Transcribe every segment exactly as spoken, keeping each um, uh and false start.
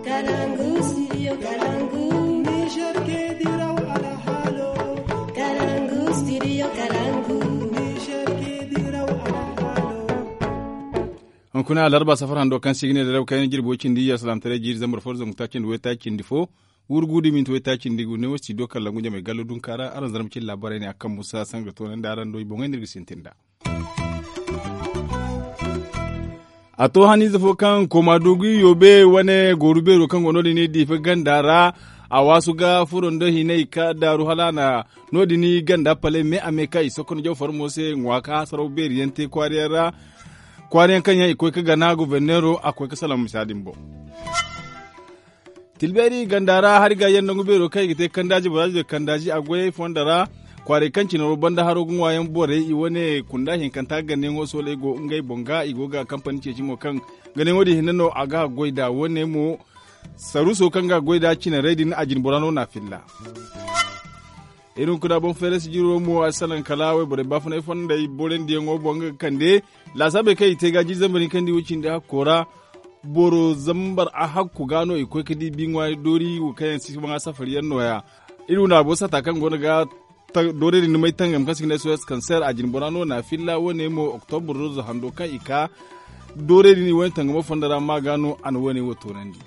Kalangu, studio Kalangu. Niger ke diraw alhalo. Kalangu, studio Kalangu. Niger ke diraw alhalo. Hunkuna alarba safar hando kaŋ se i ga ne daraw kayna jirbi way cindi iyye alsalaamataray jiiri zambar fo da zangu taaci nda way taaci cindi fo. Wurgu da minti way taaci nda i ga ne wo studio Kalangu jamey gallo dunka ra araŋ zarma cine laabaarey ne a kaŋ musa sanga toonandi araŋ do i boŋey no iri ga sintin nd'a. A to haniize fo kaŋ kooma dugu yoobe wane gooru beero kaŋ go no- din i diifa ganda ra. A waasu ga furo nda hinay ka daaru hala a na no- din ganda palay me a me ka i sokon jaw farmo se ŋwa ka hasaraw beeri yaŋ te kwaara yaŋ ra. Kwaara yaŋ kaŋ yaŋ i koy ga gana goforneero a koy ga salaŋ misa din boŋ. Tilbeeri ganda ra hari ga yaŋ nangu beero kaŋ i ga te kandaaji baraaji da kandaaji a goyey fonda ra. Kwaaray kaŋ cine wo banda haro ga ŋwaayaŋ borey i wane kunda hinkanta gannayaŋo sooley go ngey boŋ ga i go ga kampani ceeci mo kaŋ gannayaŋo din hinne no a ga goy nd'a wane mo. Saruuso kaŋ ga goy nd'a cinarey din a jinbora no n'a filla. Iri hunkuna boŋ feere sijiro mo a si salaŋ kala wayborey baafunay fondey borandiyaŋo boŋ nga ga kande laasaabey kaŋ i te ga jiiri zambar hinka nda i wo cindi hakko ra. Boro zambar a hakku ga no i koy ga di bi ŋwaari doori wo kaŋ yaŋ si baŋ a safari yaŋ nooya. Iri wane a boŋ sata kaŋ goono ga doorey din dumey tangam kaŋ se i ga ne soyas kanseer a jinbora no n'a filla wane mo oktobur rozo hando kaŋ i ka doorey din i wane tangamo fondo ra ma ga no a na wane wo toonandi.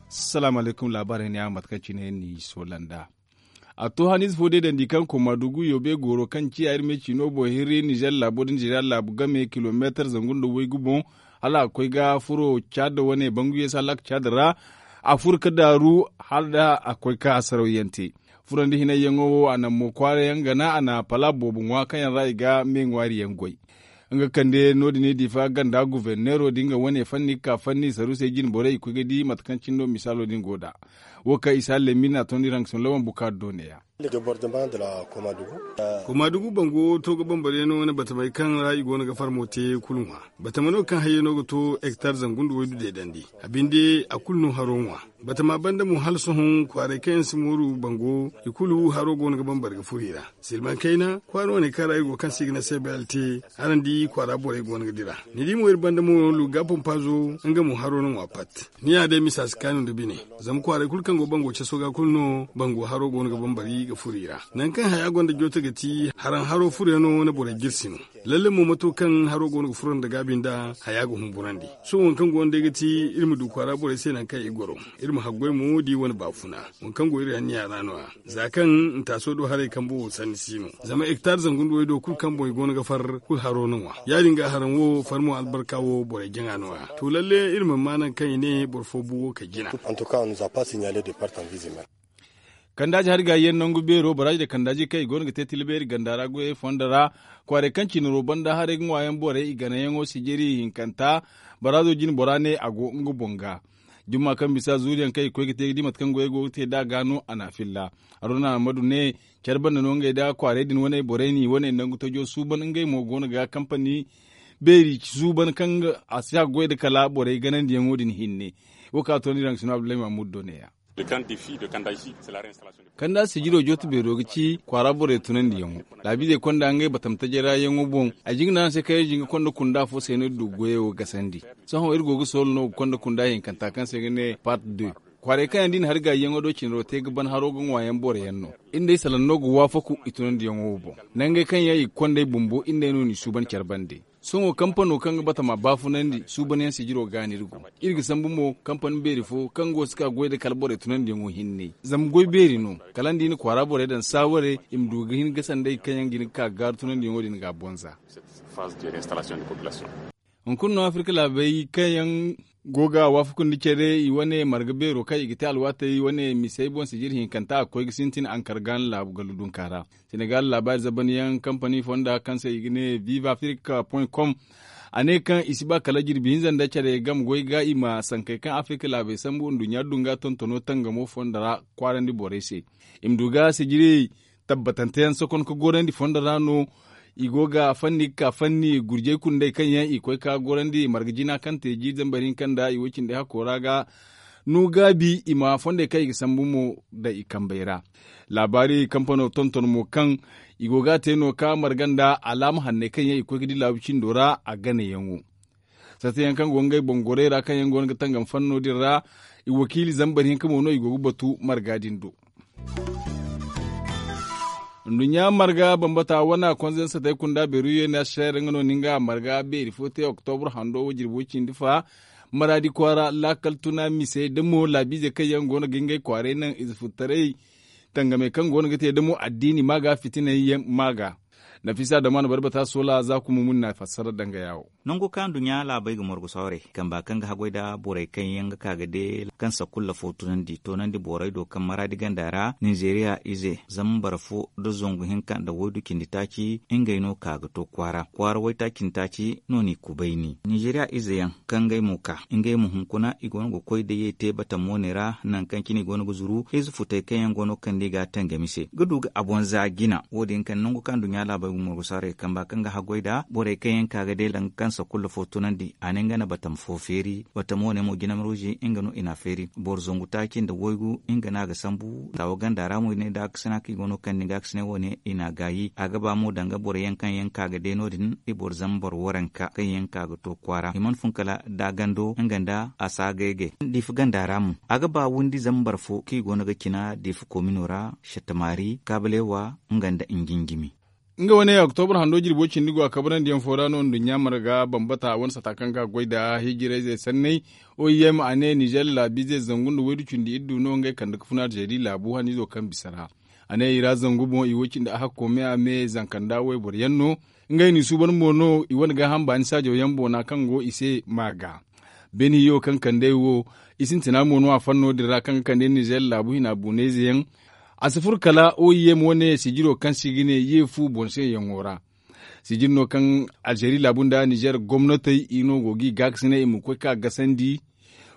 Salaamu alaykum laabaarey ne a mate kaŋ cine ni soola nd'a. A to haniize fo deedandi kaŋ kooma dugu yoobe gooro kaŋ ciya iri me ciino boŋ hirri nizer laabo da nizer laabu game kilomeetar zangu nda waygu boŋ. Hala a koy ga furo caada wane banguye saalak caada ra. A furo ga daaru hala da a koy ga hasaraw yaŋ te. Furo nda hinay yaŋo wo a naŋ mo kwaara yaŋ gana a na pala boobo ŋwa kaŋ yaŋ ra i ga me ŋwaari yaŋ goy. Nga kande no- din i diifa ganda guforneero din ga wane fanni ga ka fanni saruusey jine borey i koy ga di mate kaŋ cine no misaalo din go nd'a. Wo kaŋ isa lemin a tondi rangason lawan bukaari do neeya. Kooma dugu bango to ga bambariyaŋo wane batamey kaŋ ra i go no ga farmo te kulu ŋwa. Batama no kaŋ hayyaŋo ga to hektar zangu nda waydu deedandi. A binde a kulu no haro ŋwa. Batama banda mo hala sohõ kwaaray kaŋ yaŋ si mooru bango i kulu haro go no ga bambari ga furo i ra. Silmaŋ kayna kwaara wane kaŋ ra i go kaŋ se i ga ne se belt. Araŋ di kwaara borey go no ga dira. Ni di mo iri banda mo luga pompazo nga mo haro no ŋwa pat. Ni ya day misa si kaanu nda bine. Zama kwaaray kulu kaŋ go bango caso ga kulu no bango haro go no ga bambari ga furo i ra. Nangu kaŋ haya gonda joote ga ti haraŋ haro furoyaŋo wane borey jirsi no. Lalle mo mato kaŋ haro go no ga furo nda gaabi nda haya ga humburandi. Sohõ waŋ kaŋ go no day ga ti iri ma du kwaara borey se nangu kaŋ i goro. Iri ma haggoy mo da i wane baafuna. Waŋ kaŋ go iri anniya ra no- ya za kaŋ ntaaso do haray kambo wo sanni si no. Zama hektar zangu nda waydo kulu kaŋ boŋ i go no ga far kulu haro no ŋwa. Ya- din ga haraŋ wo far mo albarka wo borey jaŋa no- ya to lalle iri mana ma nangu kaŋ i ne boro fo bu wo ka jina. Kandaaji hari ga yaŋ nangu beero baraaji da kandaaji kaŋ i go no ga te tilbeeri ganda ra goyey fondo ra. Kwaaray kaŋ cine ro banda haray ga ŋwaayaŋ borey i ganayaŋo sijiri hinkanta. Baraazo jine bora ne a go nga boŋ ga. Jumma kaŋ bisa zuuriyaŋ kaŋ i ga koy ga te ga di mate kaŋ goyey go ga te nd'a ga no a n'a filla. Haruna ahmadu ne care banda no ngey nda kwaaray din wane borey n'i wane nangu tajo suuban ngey mo go no ga kampani beeri suuban kaŋ a si a goy nda kala borey ganandiyaŋo din hinne. Wo kaŋ a toonandi raŋ sino abdullahi mahmud do neeya. Kanda sijiro jooto beero ga ci kwaara borey tunandiyaŋo. Laabiizey konda ngey batam tajay ra yaŋo boŋ. A jingana araŋ se kaŋ iri jinga konda kunda fo se no iri du goyo gasandi. Sohõ iri go ga soolo no ga konda kunda hinkanta kaŋ se ga ne part deux. Kwaaray kaŋ yaŋ da i na hari gaayiyaŋo do cinaro te ga ban haro ga ŋwaayaŋ boroyaŋ no. Iri nd'ey salaŋ no ga waafaku i tunandiyaŋo wo boŋ. Nangey kaŋ yaŋ i ga kond'ey bumbo iri nd'ey no n'i suuban care bande. Sohõ kampano kaŋ ga batama baafunandi suubanyaŋ sijiro ga no iri go. Iri ga sambu mo kampani beeri fo kaŋ go si ka goy nda kala borey tunandiyaŋo hinne zama goy beeri no. Kala nda i na kwaara borey daŋ saaware i ma du ga hin ga sandey kaŋ yaŋ ga hin ga ka gaaru tunandiyaŋo din ga a bonza. Hunkuna no afirka laabey kaŋ yaŋ go ga waafakundi care i wane marga beero kaŋ i ga te alwaatey wane misey boŋ sijir hinkanta a ga koy ga sintin ankar gaana laabu gallu dunka ra. Senegal laabaari zabanyaŋ kampani fonda kaŋ se i ga ne viva africa point com. A ne kaŋ i si ba kala jirbi hinza nda care game goy ga i ma sankey kaŋ afrika laabey sambu nduɲɲa dunga tontono tangamo fonda ra kwaarandi borey se. I ma du ga sijiri tabbatante yaŋ sokon ga gorandi fondo ra no. I go ga fanni ga ka fanni gurjey kundey kaŋ yaŋ i koy ga gorandi marga jina kaŋ te jiiri zambar hinka nda i wo cindi hakko ra ga no gaabi i ma fondey kaŋ i ga sambu mo nda i kambey ra. Laabaari kampano tonton mo kaŋ i go ga a te no ka marga nda alaama hanney kaŋ yaŋ i koy ga di laabu cindo ra a ganayaŋo. Sata yaŋ kaŋ go ngey boŋ gorey ra kaŋ yaŋ go no ga tangam fanno din ra. I wakiili zambar hinka mo no i go ga batu marga din do. Nduɲɲa marga bambata wane a konze nsatey kunda beeru yeena seer nga no ni nga a marga beeri fo te oktobur hando wo jirbo cindi fa. Maraadi kwaara laakal tuna misey da mo laabiizey kaŋ yaŋ go no ga ngey kwaaray naŋ ize futtaray tangamey kaŋ go no ga te da mo addiini maaga fitinay yaŋ maaga. Nafisa damaana barbata soola za kuma mun na fassara danga yaawo. Nango kaŋ nduɲɲa laabey ga morgu sawrey kamba kaŋ ga haggoy nda borey kaŋ yaŋ ga ka ga de kaŋ sakulla fo tunandi toonandi borey do kaŋ maraadi ganda ra ninzeeriya ize zambar fo nda zangu hinka nda waydu cindi taaci ngey no ka ga to kwaara kwaara waytaaci nda taaci no n'i kubayni ninzeeriya ize yaŋ kaŋ ngey mo ka ngey mo hunkuna i go no ga koy da ye te batamo ne ra. Nangu kaŋ cine i go no ga zuru ize futey kaŋ yaŋ go no ga kande i ga a tangami se ga du ga a boŋ za jina wo- din kaŋ nangu kaŋ nduɲɲa laabey ga morgu sawrey kamba kaŋ ga haggoy nda borey kaŋ yaŋ ka ga de danga kaŋ sakulla fo tunandi a ne nga na batama fo feeri batama wane mo jinam ruuzi nga no i n'a feeri boro zangu taaci nda waygu nga no a ga sambu taawa ganda ra mo i ne da a ga sina kaŋ i go no ga kande nga a ga sina wane i n'a gaayi a ga ba mo danga boro yaŋ kaŋ yaŋ ka ga de no- din i boro zambar waranka kaŋ yaŋ ka ga to kwaara i mana fun kala da gando nga nda a si a gaygay diifa ganda ra mo a ga ba windi zambar fo kaŋ i go no ga cina diifa komino ra shatamaari kaabaleewa nga nda njinjimi. Nga wane oktobur hando jirbo cindi go a kabrandi yaŋ fo ra no nduɲɲa marga bambata wane sata kaŋ ga goy nda hijirayzey sanney. Oim a ne nizer laabiizey zangu nda waydu cindi iddu no ngey kande ga funa alzeeri laabu haniizo kaŋ bisa ra. A ne i ra zangu boŋ i wo cindi a hakko me a me zanka nda wayboro yaŋ no. Ngey n'i suuban mo no i wane gaaham baani saajaw yaŋ boona kaŋ go i se maaga. Beene hiyo kaŋ kandey wo i sintina mo no a fanno din ra kaŋ ga kande nizer laabu hina buunayze yaŋ. A si furo kala oim wane sijiro kaŋ se i ga ne ye fu boŋ se yaŋo ra. Sijir no kaŋ alzeeri laabu nda nizer gomnatey i no go ga i gaakasinay i ma koy ka gasandi.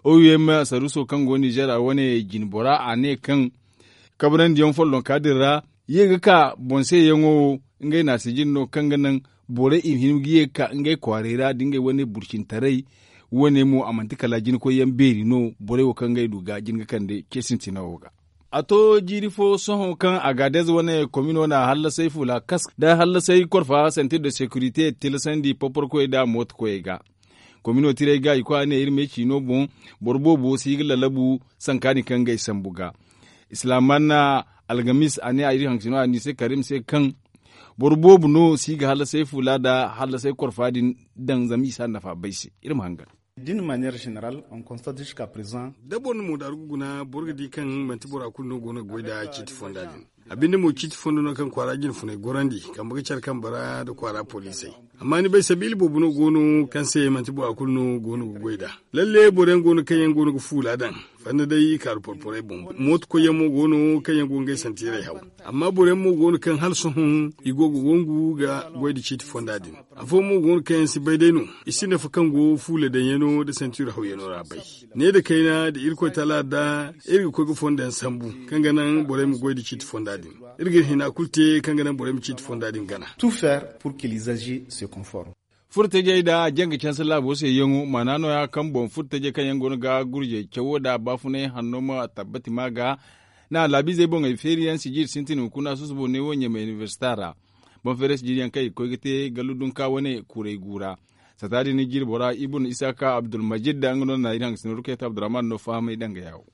Oim saruuso kaŋ go nizer a wane jinbora a ne kaŋ kabrandi yaŋ follonka din ra ye ga ka boŋ se yaŋo wo. Ngey na sijir no kaŋ ga naŋ borey i ma hin ga ye ga ka ngey kwaaray ra da ngey wane burcintaray. Wane mo a manti kala jinkoy yaŋ beeri no borey wo kaŋ ngey du ga jin ga kande ce sintina wo ga. A to jiiri fo sohõ kaŋ a ga adez wane komino na hallasay fuula kask nda hallasay korfa sentir de securité tilasandi porporkoyey nda mootokoyey ga. Komino tirey ga i koy a ne iri me ciino boŋ boro boobo si ga lalabu sankaani kaŋ ga ay sambu ga. Islamanna algamis a ne a iri haŋ ciino a ni se karim se kaŋ boro boobo no si ga hallasay fuula nda hallasay korfa din daŋ zama i si a nafa bay se. Iri ma hangan. Da boro na moodaaru ga guna boro ga di kaŋ manti bora kulu no go no ga goy nda ciiti fonda din. A binde mo ciiti fondo no kaŋ kwaara jinfunay gorandi kambe ga care kambe ra nda kwaara poliisey. Amma ni bay sabiila boobo no go no kaŋ se manti bora kulu no go no ga goy nd'a. Lalle boro yaŋ go no kaŋ yaŋ go no ga fuula daŋ fanda day i kaaru porporey boŋ. Mooto koyyaŋ mo go no kaŋ yaŋ go ngey santiirey haw. Amma boro yaŋ mo go no kaŋ hala sohõ i go ga wangu ga goy nda ciiti fonda din. Afooyaŋ mo go no kaŋ yaŋ si bay day no i si nafa kaŋ go fuula daŋyaŋo nda santiiro hawyaŋo ra bay. Ne nda kayna nda irkoy taala da iri ga koy ga fondo yaŋ sambu kaŋ ga naŋ borey ma goy nda ciiti fonda din. Iri ga iri hina kulu te kaŋ ga naŋ borey ma ciiti fonda din gana. Tout faire pour que les âgés se conforment. Furtajey nda janga canse laabo se yaŋo maana nooya kaŋ boŋ furtajey kaŋ yaŋ go no ga gurjey cawo nda baafunay hanno ma tabbati ma ga na laabiizey boŋey feeri yaŋ sijir sintin hunkuna susubo ne wo ɲamay inibersita ra. Boŋ feeray sijir yaŋ kaŋ i ga koy ga te gallu dunka wane kuray gu ra. Sata din jiri bora ibun isaka abdulmajid da nga no na iri haŋ ga sinaru kayta abdurrahman no fahamay danga yaawo.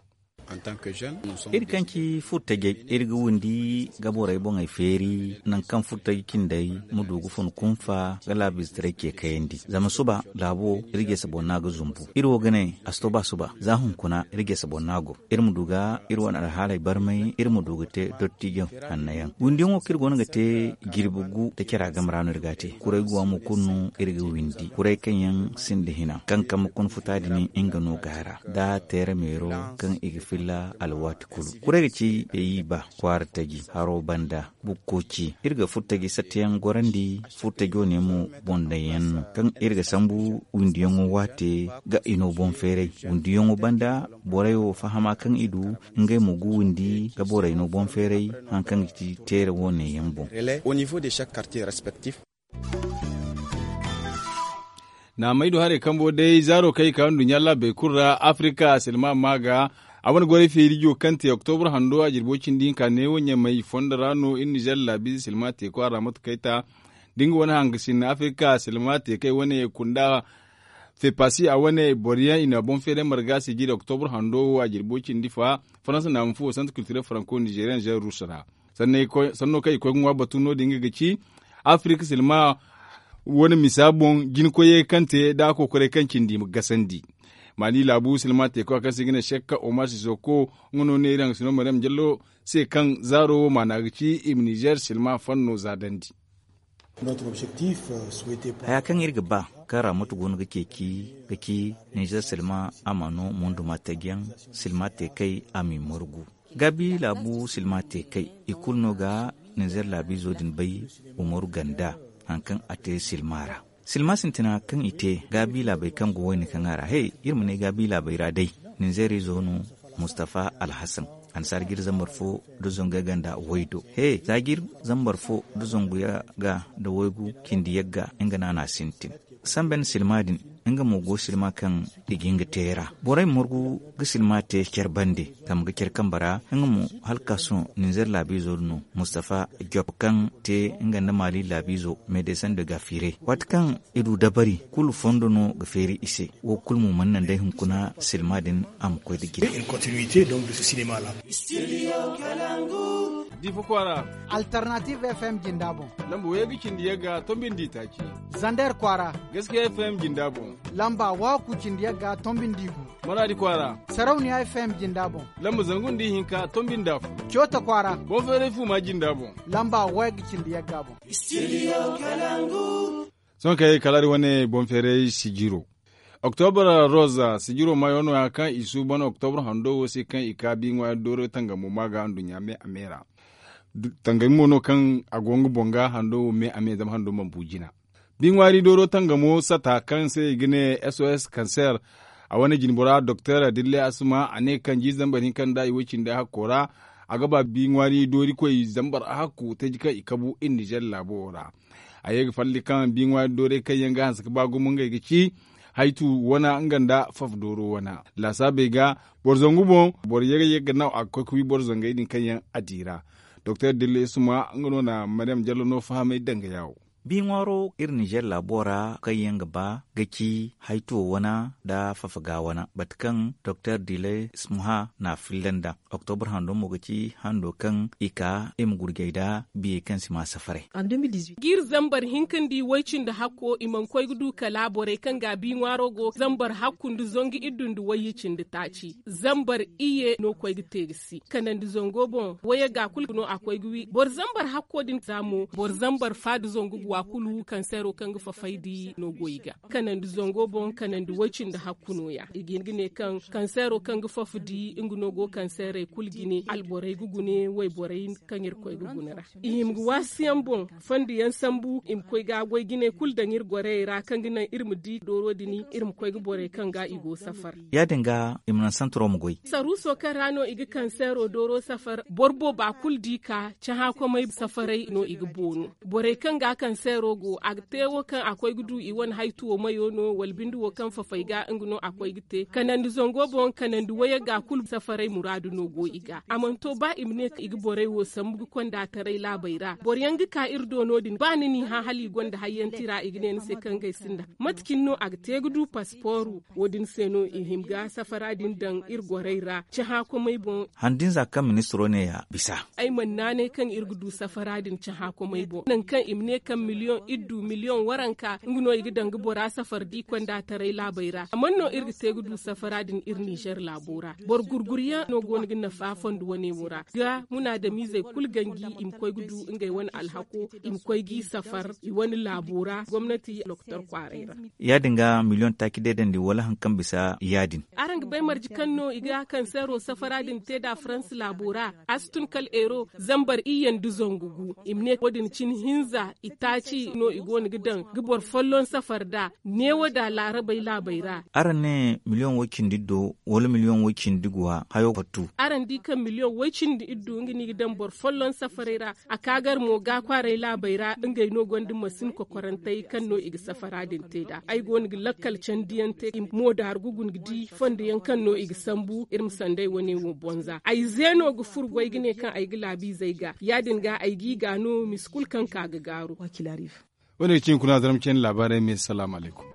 Iri kaŋ ci furtajey iri ga windi ga borey boŋey feeri nangu kaŋ furtaji cindey ma du ga fun kunfa ga laabiizetaray ce kayandi zama suba laabo iri jese boŋ no a ga zumbu. Iri wo ga ne a si to ba suba za hunkuna iri jese boŋ no a go. Iri ma du ga iri wane alhaaley barmay iri ma du ga te dottijo hannayaŋ. Windiyaŋo kaŋ iri go no ga te jirbi gu nda cara game ra no iri ga a te kuray guwa mo kulu no iri ga windi kuray kaŋ yaŋ sinda hina kaŋ kambe kuna futa din nga no gaara nda teera meero kaŋ i ga filla alwaati kulu. Kuray ga ci peyi ba kwaara taji haro banda bukko ci iri ga furtaji satteyaŋ gorandi. Furtajo ne mo boŋ daŋ yaŋ no kaŋ iri ga sambu windiyaŋo waate ga i no boŋ feeray windiyaŋo banda borey wo fahama kaŋ i du ngey mo ga windi ga borey no boŋ feeray haŋ kaŋ ga ci teera wo ne yaŋ boŋ. Naamay du haray kambo day zaaro kaŋ i ka nduɲɲa laabey kulu ra afirika silma ma ga a wane goray feerijo kaŋ te oktobur hando a jirbo cindi hinka neewo ɲamay fondo ra no iri nizer laabiize silma teeko a ra mate kayta da nga wane hangasin afirika silma teekey wane kunda Fepasi a wane boro yaŋ i na boŋ feeray marga sijiri oktobur hando wo a jirbo cindi fa faransa naama fuwo santu kiltirel faranko nizeriyan zeerus ra. Sanno kaŋ i koy ga ŋwa batu no- din nga ga ci afirika silma wane misa boŋ jina koyey kaŋ te nda a kokoray kaŋ cindi ma gasandi. Mali laabu silma teeko kaŋ se i ga ne sekka omar sisoko nga no ne iri haŋ ga sino maryam jallo se kaŋ zaaro wo maana ga ci i ma nizer silma fanno zaadandi. Haya kaŋ iri ga ba kaŋ ra moto go no ga ceeci ga ci nizer silma a ma no munduma tajiyaŋ silma te kay a m'i margu. Gaabi laabu silma te kay i kulu no ga nizer laabiizo din bay umaru ganda haŋ kaŋ a te silma ra. Silma sintina kaŋ i te gaabi laabey kaŋ go wayne kaŋ a ra he iri ma ne gaabi laabey ra day nizer izo no mustafa alhasan. Ansaar jiri zambar fo nda zangu yagga nda waydo he za jiri zambar fo nda zangu yagga nda waygu cindi yagga nga no a na a sintin. Samben silma din nga mo go silma kaŋ i ga hin ga te ra borey ma margu ga silma te care bande zama ga care kambe ra. Nga mo hala ga ka sohõ ninzeer laabiizo din no mustafa job kaŋ te nga nda maali laabiizo medesin de gafire waati kaŋ i du dabari kulu fondo no ga feeri i se. Wo kulu mo mana naŋ day hunkuna silma din a ma koy nda jine. Difa kwaara. Alternative fm jinda boŋ. Lamba wayey ga cindi yagga tombi nda itaaci. Zander kwaara. Gaskiya fm jinda boŋ. Lamba waku cindi yagga tombi nda igu. Maraadi kwaara. Sarauniya fm jinda boŋ. Lamba zangu nda ihinka tombi nda afo. Coota kwaara. Boŋ feeray fuuma jinda boŋ. Lamba wayey ga cindi yagga boŋ. Sohõ kay kala iri wane boŋ feeray sijiro. Oktobra roza sijiro maayo no- ya kaŋ i suuban oktobra hando wo se kaŋ i ka bi ŋwaari dooro tangamo ma ga nduɲɲa me a me ra. Tangami mo no kaŋ a go nga boŋ ga hando wo me a me zama hando mana bu jina. Bi ŋwaari dooro tangamo sata kaŋ se i ga ne sos kanser a wane jinbora doktor dille asuma a ne kaŋ jiize zambar hinka nda i way cindi hakko ra. A ga ba bi ŋwaari doori koy zambar hakku taji kaŋ i kabu iri nizer laabo wo ra. A ye ga falli kaŋ bi ŋwaari doorey kaŋ yaŋ ga hanse ga ba gumo ngey ga ci haytu wana nga nda faf dooro wana. Laasaabey ga boro zangu boŋ boro ye ga ye ga naw a ga koy ga wi boro zangey din kaŋ yaŋ a di ra. Doktor dilla isuma nga no na maryam jallo no fahamay danga yaawo. Bi ŋwaaro iri nizer laabo ra kaŋ yaŋ ga ba ga ci haytuwo wana nda fafaga wana bate kaŋ doktor dilla isuma na filla nda. Oktobra hando mo ga ci hando kaŋ i ka i ma gurjay nda biyey kaŋ si ma safaray. Ga iri zambar hinka nda i way cindi hakko i mana koy ga du kala borey kaŋ ga a bi ŋwaaro go zambar hakku nda zangu iddu nda wayye cindi taaci. Zambar iyye no koy ga te ga si kanandi zango boŋ wayye ga kulu no a koy ga wi boro zambar hakko din za mo boro zambar fa nda zangu ga wa kulu kanseero kaŋ ga fafay di no go i ga kanandi zango boŋ kanandi way cindi hakku no- ya i ga hin ga ne kaŋ kanseero kaŋ ga fafa di nga no go kanseerey kulu jine alborey ga gune wayborey kaŋ irkoy ga gune ra. I hima ga waasi yaŋ boŋ fondo yaŋ sambu i ma koy ga goy jine kulu daŋ iri gorey ra kaŋ ga naŋ iri ma di dooro din iri ma koy ga borey kaŋ ga i go safar. Ya- din ga i ma naŋ santaro ma goy. Saruuso kaŋ ra no i ga kanseero dooro safar boro booba kulu di ka cahãakomey safaray no i ga boonu. Borey kaŋ ga kanseero go a ga te wo kaŋ a koy ga du i wane haytuwo mayo no wala binde wo kaŋ fafay ga nga no a koy ga te kanandi zango boŋ kanandi wayey ga kulu safaray muraadu no go i ga a mana to ba i ma ne i ga borey wo sambu ga konda taray laabey ra boro yaŋ ga ka iri do no- din ba ni n'i hã hala i gonda hayyanti ra i ga ne ni se kaŋ ngey sinda mate cine no a ga te ga du paspooru. Wo- din se no i hima ga safara din daŋ iri gorey ra cahãakomey boŋ. Handinza kaŋ ministiro ne ya bisa. Ay mana naanay kaŋ iri ga du safara din cahãakomey boŋ nangu kaŋ i ma ne kaŋ miliyoŋ iri du miliyoŋ waranka nga no i ga daŋ ga bora safar da i konda taray laabey ra a mana no iri ga te ga du safara din iri nizer laabo ra boro gurguryaŋ no go no ga nafa fondo wane wo ra ga munaadamiizey kulu ganji i ma koy ga du ngey wane alhako i ma koy g'i safar i wane laabo ra gomnati doktor kwaaray ra. Ya- din ga miliyoŋ taaci deedandi wala hari kaŋ bisa ya- din. Araŋ ga bay marje kaŋ no i ga kanseero safara din te nd'a faransa laabo ra a si tun kala eero zambar iyye nda zangu gu i ma ne wo- din cine hinza itaaci no i go no ga daŋ ga boro folloŋ safar nd'a neewo nd'a laarabey laabey ra. Araŋ ne miliyoŋ way- cindi iddo wala miliyoŋ way- cindi guwa hayo fattu. Araŋ di kaŋ miliyoŋ way- cindi iddo nga no i ga daŋ boro folloŋ safarey ra a ka gar mo ga kwaaray laabey ra ngey no gonda masin kokorantey kaŋ no i ga safara din te nd'a ay go no ga lakkal candiyaŋ te i mo daaru ga guna ga di fondo yaŋ kaŋ no i ga sambu iri ma sanday wane wo bonza ay zeeno ga furo goy ga ne kaŋ ay ga laabiizey ga ya- din ga ay g'i ga no misa kulu kaŋ ka ga gaaru. Wane ga cine kuna zarma cine laabaarey me salaamu alaykum.